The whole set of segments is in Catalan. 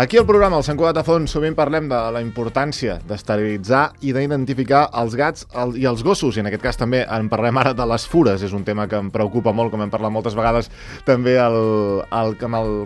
Aquí al programa, al Sant Cugat a Fons, sovint parlem de la importància d'esterilitzar i d'identificar els gats i els gossos, i en aquest cas també en parlem ara de les fures. És un tema que em preocupa molt, com hem parlat moltes vegades també amb el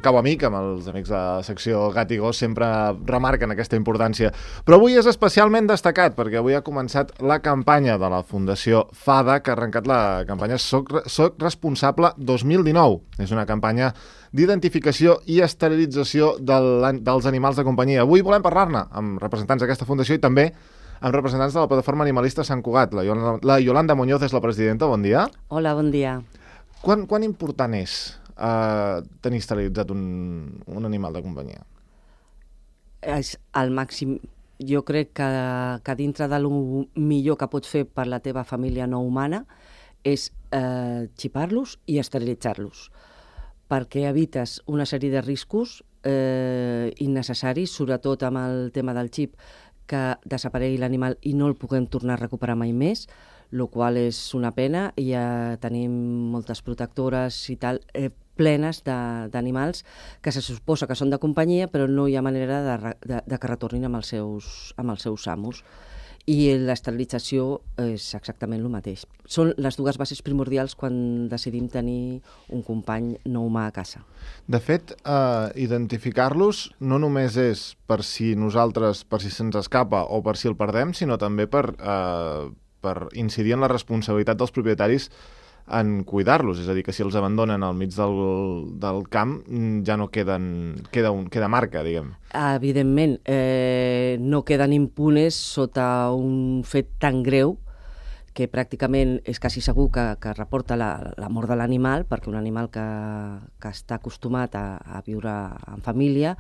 Cau Amic, amb els amics de la secció Gat i Gos, sempre remarquen aquesta importància. Però avui és especialment destacat, perquè avui ha començat la campanya de la Fundació FADA, que ha arrencat la campanya Soc Responsable 2019. És una campanya d'identificació i esterilització dels animals de companyia. Avui volem parlar-ne amb representants d'aquesta fundació i també amb representants de la plataforma animalista Sant Cugat. La Yolanda Muñoz és la presidenta. Bon dia. Hola, bon dia. Quan important és tenir esterilitzat un animal de companyia? És al màxim. Jo crec que dintre de lo millor que pots fer per la teva família no humana és xipar-los i esterilitzar-los, perquè evites una sèrie de riscos innecessaris, sobretot amb el tema del xip, que desaparegui l'animal i no el puguem tornar a recuperar mai més, el qual és una pena. Ja tenim moltes protectores i tal, plenes d'animals que se suposa que són de companyia, però no hi ha manera de que retornin amb els seus amos. I l'esterilització és exactament el mateix. Són les dues bases primordials quan decidim tenir un company no humà a casa. De fet, identificar-los no només és per si se'ns escapa o per si el perdem, sinó també per incidir en la responsabilitat dels propietaris en cuidar-los. És a dir, que si els abandonen al mig del camp ja no queda marca, diguem. Evidentment, no queden impunes sota un fet tan greu que pràcticament és quasi segur que reporta la mort de l'animal, perquè un animal que està acostumat a viure en família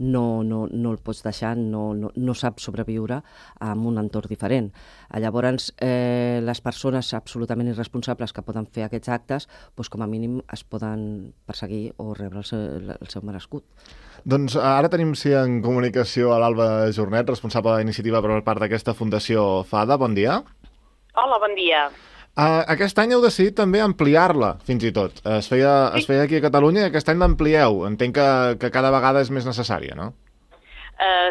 no el pots deixar, no sap sobreviure en un entorn diferent. Llavors, les persones absolutament irresponsables que poden fer aquests actes, doncs com a mínim es poden perseguir o rebre el seu merescut. Doncs ara tenim en comunicació a l'Alba Jornet, responsable d'iniciativa per part d'aquesta Fundació FADA. Bon dia. Hola, bon dia. Aquest any heu decidit també ampliar-la, fins i tot. Es feia aquí a Catalunya i aquest any l'amplieu. Entenc que cada vegada és més necessària, no?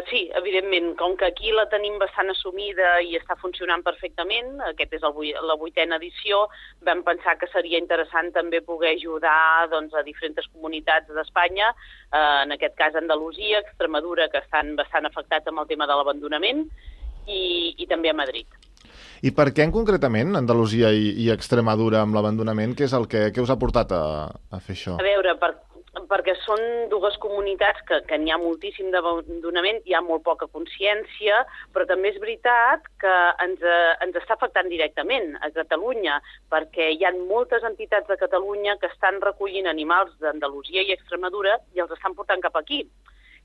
Sí, evidentment. Com que aquí la tenim bastant assumida i està funcionant perfectament, aquest és la 8a edició, vam pensar que seria interessant també poder ajudar a diferents comunitats d'Espanya, en aquest cas Andalusia, Extremadura, que estan bastant afectats amb el tema de l'abandonament, i també a Madrid. I per què concretament Andalusia i Extremadura amb l'abandonament? Què és què us ha portat a fer això? A veure, perquè són dues comunitats que n'hi ha moltíssim d'abandonament, hi ha molt poca consciència, però també és veritat que ens està afectant directament a Catalunya, perquè hi ha moltes entitats de Catalunya que estan recollint animals d'Andalusia i Extremadura i els estan portant cap aquí,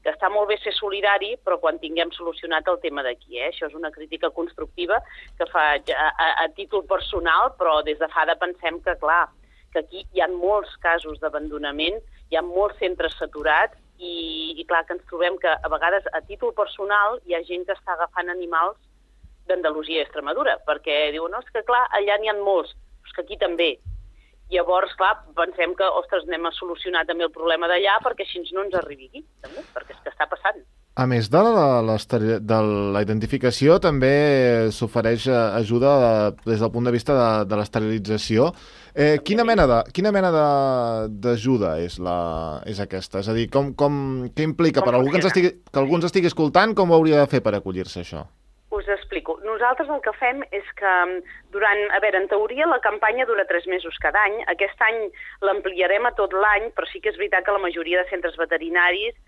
que està molt bé ser solidari, però quan tinguem solucionat el tema d'aquí. Això és una crítica constructiva que faig a títol personal, però des de FADA pensem que, clar, que aquí hi ha molts casos d'abandonament, hi ha molts centres saturats i clar, que ens trobem que a vegades a títol personal hi ha gent que està agafant animals d'Andalusia i Extremadura, perquè diuen, no, és que clar, allà n'hi ha molts, però és que aquí també. Llavors, clar, pensem que, ostres, anem a solucionar també el problema d'allà perquè així no ens arribi aquí, també, perquè és que està passant. A més de la identificació, també s'ofereix ajuda des del punt de vista de l'esterilització. Quina mena d'ajuda és aquesta? És a dir, què implica? Per algú que algú ens estigui escoltant, com ho hauria de fer per acollir-se a això? Us explico. Nosaltres el que fem és que en teoria la campanya dura 3 mesos cada any. Aquest any l'ampliarem a tot l'any, però sí que és veritat que la majoria de centres veterinaris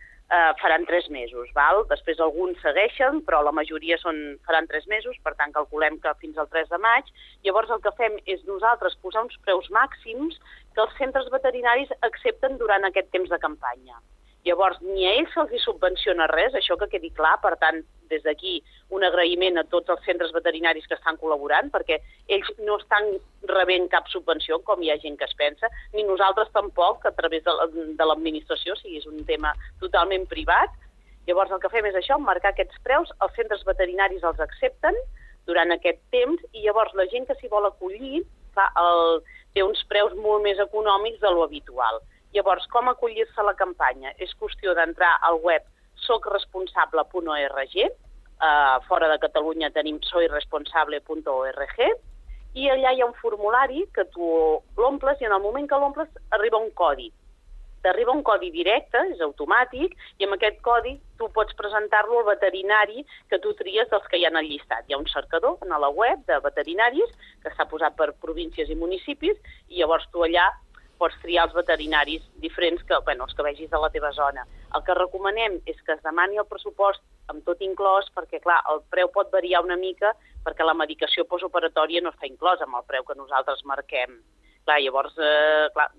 faran 3 mesos. Val? Després alguns segueixen, però la majoria faran 3 mesos, per tant calculem que fins al 3 de maig. Llavors el que fem és nosaltres posar uns preus màxims que els centres veterinaris accepten durant aquest temps de campanya. Llavors, ni a ells se'ls subvenciona res, això que quedi clar. Per tant, des d'aquí un agraïment a tots els centres veterinaris que estan col·laborant, perquè ells no estan rebent cap subvenció, com hi ha gent que es pensa, ni nosaltres tampoc, a través de l'administració, o sigui, és un tema totalment privat. Llavors, el que fem és això, marcar aquests preus, els centres veterinaris els accepten, durant aquest temps, i llavors la gent que s'hi vol acollir té uns preus molt més econòmics de lo habitual. Llavors, com acollir-se a la campanya? És qüestió d'entrar al web socresponsable.org, fora de Catalunya tenim soyresponsable.org, i allà hi ha un formulari que tu l'omples i en el moment que l'omples arriba un codi. T'arriba un codi directe, és automàtic, i amb aquest codi tu pots presentar-lo al veterinari que tu tries dels que hi ha al llistat. Hi ha un cercador a la web de veterinaris que està posat per províncies i municipis, i llavors tu allà pots triar els veterinaris diferents, els que vegis de la teva zona. El que recomanem és que es demani el pressupost amb tot inclòs, perquè, clar, el preu pot variar una mica perquè la medicació postoperatòria no està inclosa amb el preu que nosaltres marquem. Clar, llavors,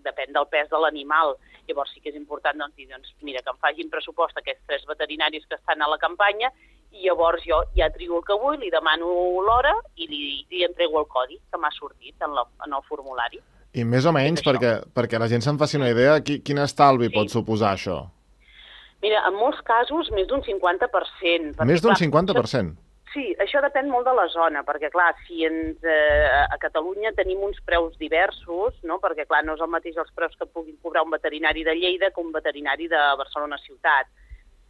depèn del pes de l'animal. Llavors sí que és important dir, mira, que em facin pressupost aquests 3 veterinaris que estan a la campanya, i llavors jo ja trio el que vull, li demano l'hora i li entrego el codi que m'ha sortit en el formulari. I més o menys, perquè la gent se'n faci una idea, quin estalvi pot suposar això? Mira, en molts casos més d'un 50%. Més d'un 50%? Sí, això depèn molt de la zona, perquè, clar, si a Catalunya tenim uns preus diversos, no? Perquè, clar, no és el mateix els preus que puguin cobrar un veterinari de Lleida que un veterinari de Barcelona ciutat.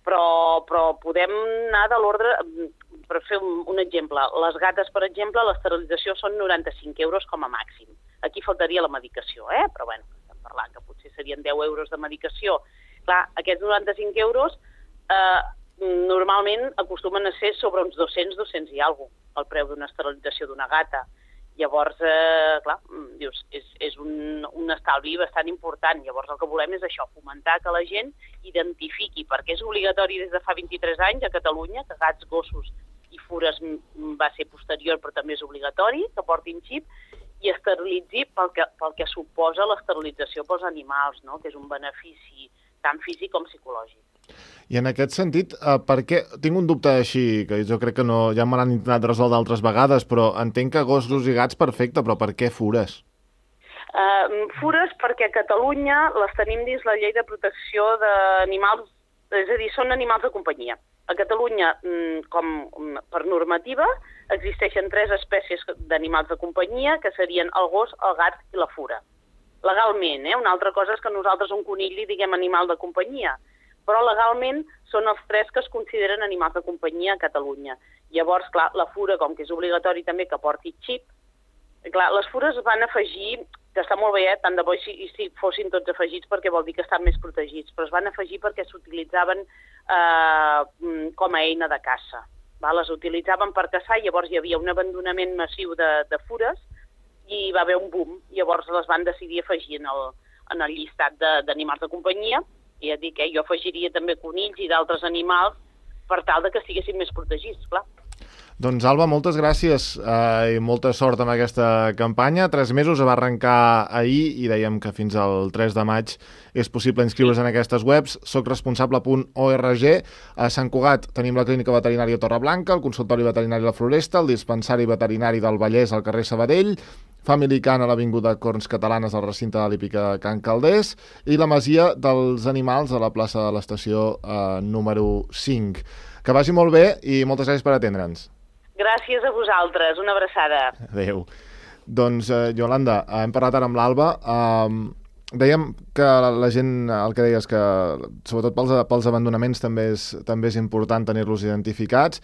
Però podem anar de l'ordre, per fer un exemple. Les gates, per exemple, l'esterilització són 95 euros com a màxim. Aquí faltaria la medicació, però bueno, estem parlant que potser serien 10 euros de medicació. Clar, aquests 95 euros normalment acostumen a ser sobre uns 200 i alguna cosa, el preu d'una esterilització d'una gata. Llavors, clar, dius, és un estalvi bastant important. Llavors el que volem és això, fomentar que la gent identifiqui, perquè és obligatori des de fa 23 anys a Catalunya, que gats, gossos i fures va ser posterior, però també és obligatori, que portin xip, i esterilitzi pel que suposa l'esterilització pels animals, no? Que és un benefici tant físic com psicològic. I en aquest sentit, per què? Tinc un dubte així, que jo crec que no, ja me l'han intentat resoldre altres vegades, però entenc que gossos i gats perfecte, però per què fures? Fures perquè a Catalunya les tenim dins la llei de protecció d'animals, és a dir, són animals de companyia. A Catalunya, com per normativa, existeixen 3 espècies d'animals de companyia, que serien el gos, el gat i la fura. Legalment, una altra cosa és que nosaltres a un conill li diguem animal de companyia, però legalment són els 3 que es consideren animals de companyia a Catalunya. Llavors, clar, la fura, com que és obligatori també que porti xip, clar, les fures es van afegir, que està molt bé, tant de bo si fossin tots afegits perquè vol dir que estan més protegits, però es van afegir perquè s'utilitzaven com a eina de caça. Les utilitzaven per caçar, llavors hi havia un abandonament massiu de fures i va haver un boom. Llavors les van decidir afegir en el llistat d'animals de companyia, i ja dic, jo afegiria també conills i d'altres animals per tal que estiguessin més protegits, clar. Doncs, Alba, moltes gràcies i molta sort amb aquesta campanya. 3 mesos, va arrencar ahir i dèiem que fins al 3 de maig és possible inscriure's en aquestes webs. socresponsable.org. A Sant Cugat tenim la clínica veterinària Torreblanca, el consultori veterinari La Floresta, el dispensari veterinari del Vallès al carrer Sabadell, Family Can a l'Avinguda Corns Catalanes al recinte de l'hípica Can Calders i la Masia dels Animals a la plaça de l'estació número 5. Que vagi molt bé i moltes gràcies per atendre'ns. Gràcies a vosaltres, una abraçada. Adéu. Doncs, Iolanda, hem parlat ara amb l'Alba. Dèiem que la gent, el que deies, que sobretot pels abandonaments també és important tenir-los identificats.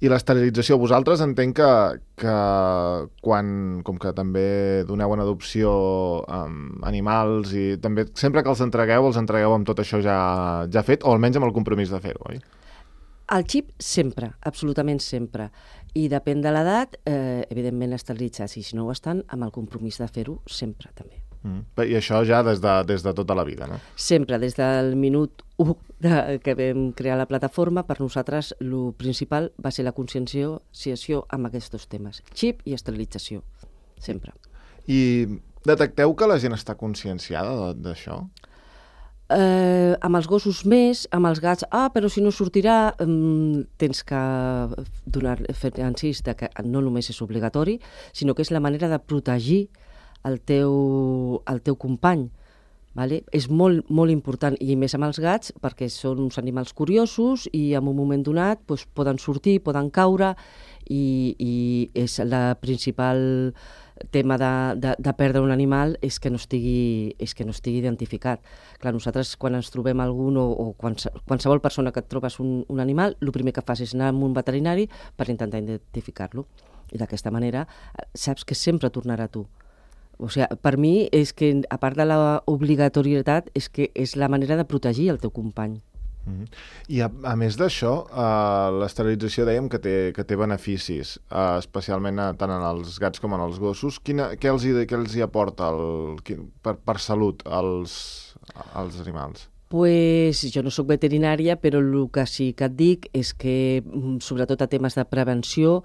I l'esterilització, vosaltres entenc que quan, com que també doneu en adopció animals i també sempre que els entregueu amb tot això ja fet, o almenys amb el compromís de fer-ho, oi? El xip sempre, absolutament sempre. I depèn de l'edat, evidentment esterilitzats, i si no ho estan, amb el compromís de fer-ho sempre també. I això ja des de tota la vida, no? Sempre, des del minut 1 que vam crear la plataforma, per nosaltres el principal va ser la conscienciació amb aquests 2 temes, xip i esterilització, sempre. I detecteu que la gent està conscienciada d'això? Amb els gossos més, amb els gats, però si no sortirà, tens que fer incís que no només és obligatori, sinó que és la manera de protegir el teu company, Vale? És molt, molt important, i més amb els gats, perquè són uns animals curiosos i en un moment donat doncs, poden sortir, poden caure, i és la principal tema de perdre un animal és que no estigui identificat. Clar, nosaltres quan ens trobem algun o qualsevol persona que et trobes un animal, el primer que fas és anar amb un veterinari per intentar identificar-lo. I d'aquesta manera saps que sempre tornarà a tu. O sigui, per mi és que, a part de l'obligatorietat, és que és la manera de protegir el teu company. I a més d'això, l'esterilització dèiem que té beneficis, especialment tant en els gats com en els gossos. Què els hi aporta per salut als animals? Pues jo no sóc veterinària, però el que sí que et dic és que, sobretot a temes de prevenció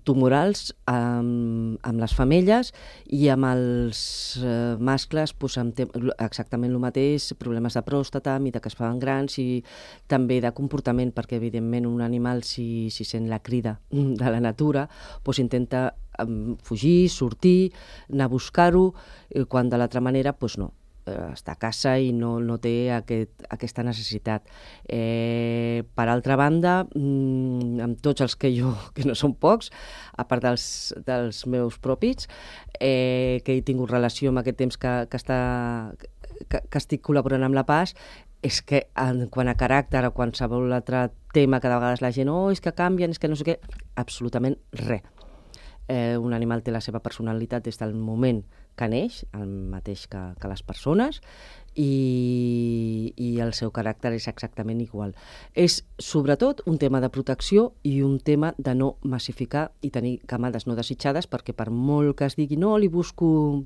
tumorals amb les femelles i amb els mascles, pues, exactament el mateix, problemes de pròstata, mida que es fan grans, i també de comportament, perquè evidentment un animal, si sent la crida de la natura, pues, intenta fugir, sortir, anar a buscar-ho, quan de l'altra manera pues, no. Està a casa i no té aquesta necessitat. Per altra banda, amb tots els que no són pocs, a part dels meus propis, que he tingut relació amb aquest temps que estic col·laborant amb la PAS, és que quan a caràcter o qualsevol altre tema que de vegades la gent és que canvien, és que no sé què, absolutament res. Un animal té la seva personalitat des del moment que neix, el mateix que les persones, i el seu caràcter és exactament igual. És sobretot un tema de protecció i un tema de no massificar i tenir camades no desitjades, perquè per molt que es digui no, li busco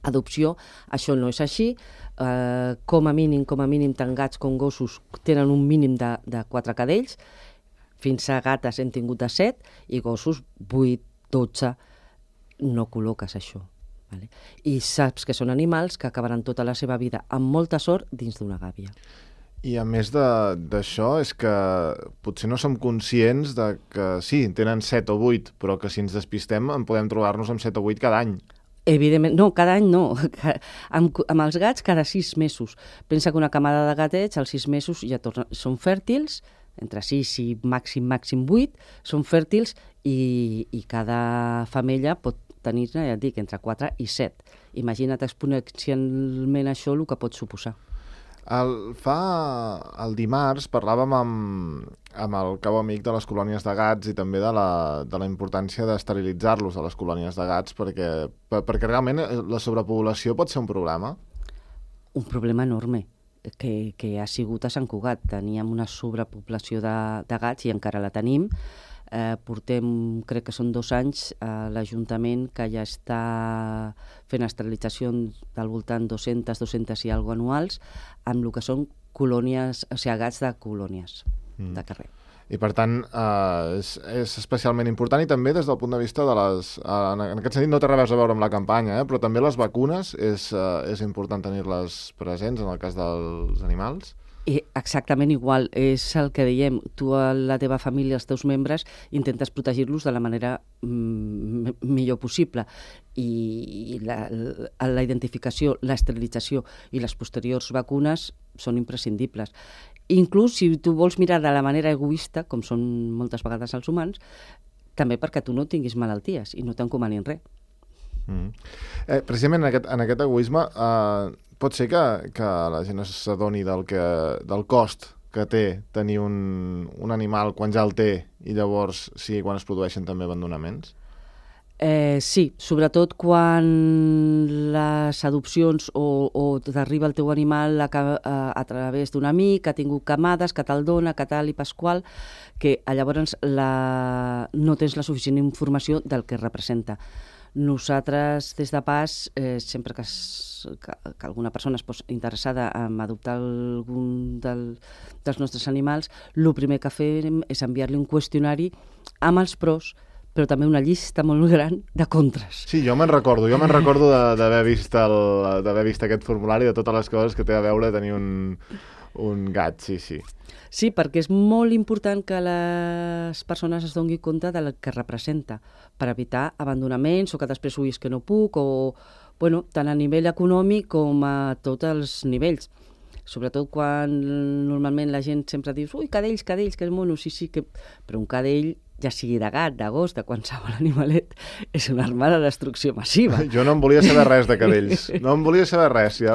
adopció, això no és així. Com a mínim, tant gats com gossos tenen un mínim de 4 cadells, fins a gates hem tingut de 7, i gossos 8, 12, no col·loques això. Vale? I saps que són animals que acabaran tota la seva vida amb molta sort dins d'una gàbia. I a més d'això és que potser no som conscients de que sí, tenen 7 o 8, però que si ens despistem en podem trobar-nos amb 7 o 8 cada any. Evidentment, no, cada any no. Amb els gats cada 6 mesos. Pensa que una camada de gatets als 6 mesos ja són fèrtils, entre 6 i màxim 8, són fèrtils, i cada femella pot tenir-ne, ja et dic, entre 4 i 7. Imagina't exponencialment això el que pot suposar. El dimarts parlàvem amb el cau amic de les colònies de gats i també de la importància d'esterilitzar-los a les colònies de gats, perquè realment la sobrepoblació pot ser un problema. Un problema enorme que ha sigut a Sant Cugat. Teníem una sobrepoblació de gats i encara la tenim. Portem, crec que són 2 anys, a l'Ajuntament que ja està fent esterilització del voltant 200 i alguna anuals, amb el que són colònies, o sigui, gats de colònies de carrer. I per tant és especialment important, i també des del punt de vista de les... En aquest sentit no té res a veure amb la campanya, però també les vacunes és important tenir-les presents en el cas dels animals. Exactament igual, és el que dèiem, tu a la teva família, els teus membres, intentes protegir-los de la manera millor possible, i la identificació, l'esterilització i les posteriors vacunes són imprescindibles. Inclús si tu vols mirar de la manera egoista, com són moltes vegades els humans, també perquè tu no tinguis malalties i no t'encomanin res. Precisament en aquest egoisme pot ser que la gent s'adoni del cost que té tenir un animal quan ja el té, i llavors sí, quan es produeixen també abandonaments? Sí, sobretot quan les adopcions o t'arriba el teu animal a través d'un amic que ha tingut camades, que te'l dona, que tal i pasqual, que llavors no tens la suficient informació del que representa. Nosaltres, des de PAS, sempre que alguna persona es posa interessada en adoptar algun dels nostres animals, el primer que fem és enviar-li un qüestionari amb els pros, però també una llista molt gran de contres. Sí, jo me'n recordo d'haver vist aquest formulari, de totes les coses que té a veure tenir un gat, sí. Sí, perquè és molt important que les persones es donin compte del que representa, per evitar abandonaments o que després ho que no puc, o Bueno, tant a nivell econòmic com a tots els nivells. Sobretot quan normalment la gent sempre diu ui, cadells, que és mono, sí, però un cadell, ja sigui de gat, de gos, de qualsevol animalet, és una arma de destrucció massiva. Jo no en volia saber res de cadells, no en volia saber res. Ja.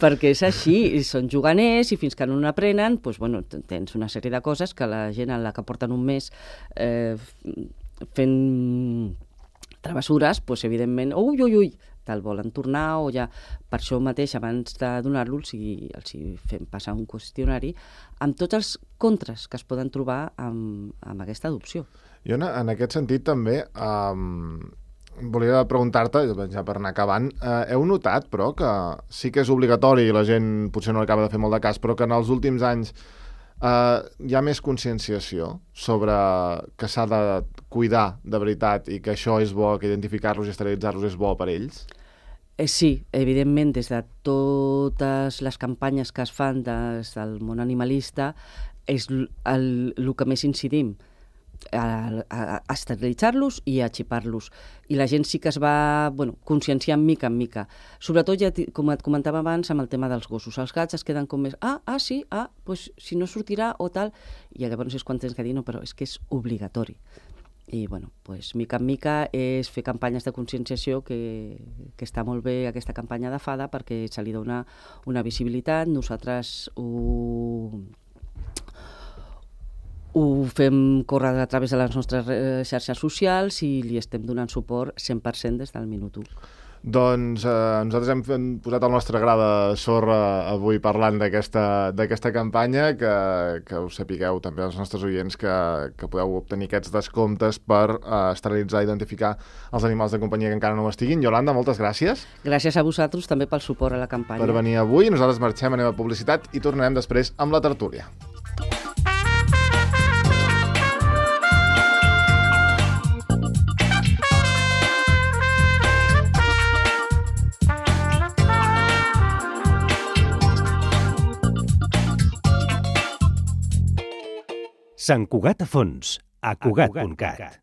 Perquè és així, són juganers i fins que no n'aprenen, doncs, bueno, tens una sèrie de coses que la gent en la que porten un mes fent travessures, doncs, evidentment, ui, te'l volen tornar o ja per això mateix abans de donar-los els fem passar un qüestionari amb tots els contres que es poden trobar amb aquesta adopció. Jo en aquest sentit també volia preguntar-te, ja per anar acabant, heu notat però que sí que és obligatori i la gent potser no acaba de fer molt de cas, però que en els últims anys hi ha més conscienciació sobre que s'ha de cuidar de veritat i que això és bo, que identificar-los i esterilitzar-los és bo per ells? Sí, evidentment, des de totes les campanyes que es fan des del món animalista és el que més incidim, a esterilitzar-los i a xipar-los. I la gent sí que es va conscienciant mica en mica. Sobretot, ja, com et comentava abans, amb el tema dels gossos. Els gats es queden com més, sí, doncs si no sortirà o tal, i llavors és quan tens que dir, no, però és que és obligatori. I, doncs, mica en mica és fer campanyes de conscienciació que està molt bé aquesta campanya de Fada perquè se li dona una visibilitat. Nosaltres ho fem córrer a través de les nostres xarxes socials i li estem donant suport 100% des del minut 1. Doncs nosaltres hem posat el nostre gra de sorra avui parlant d'aquesta campanya, que us sapigueu també els nostres oients que podeu obtenir aquests descomptes per esterilitzar i identificar els animals de companyia que encara no ho estiguin. Iolanda, moltes gràcies. Gràcies a vosaltres també pel suport a la campanya. Per venir avui. Nosaltres marxem, anem a publicitat i tornarem després amb la tertúlia. Sant Cugat a fons, a Cugat.cat.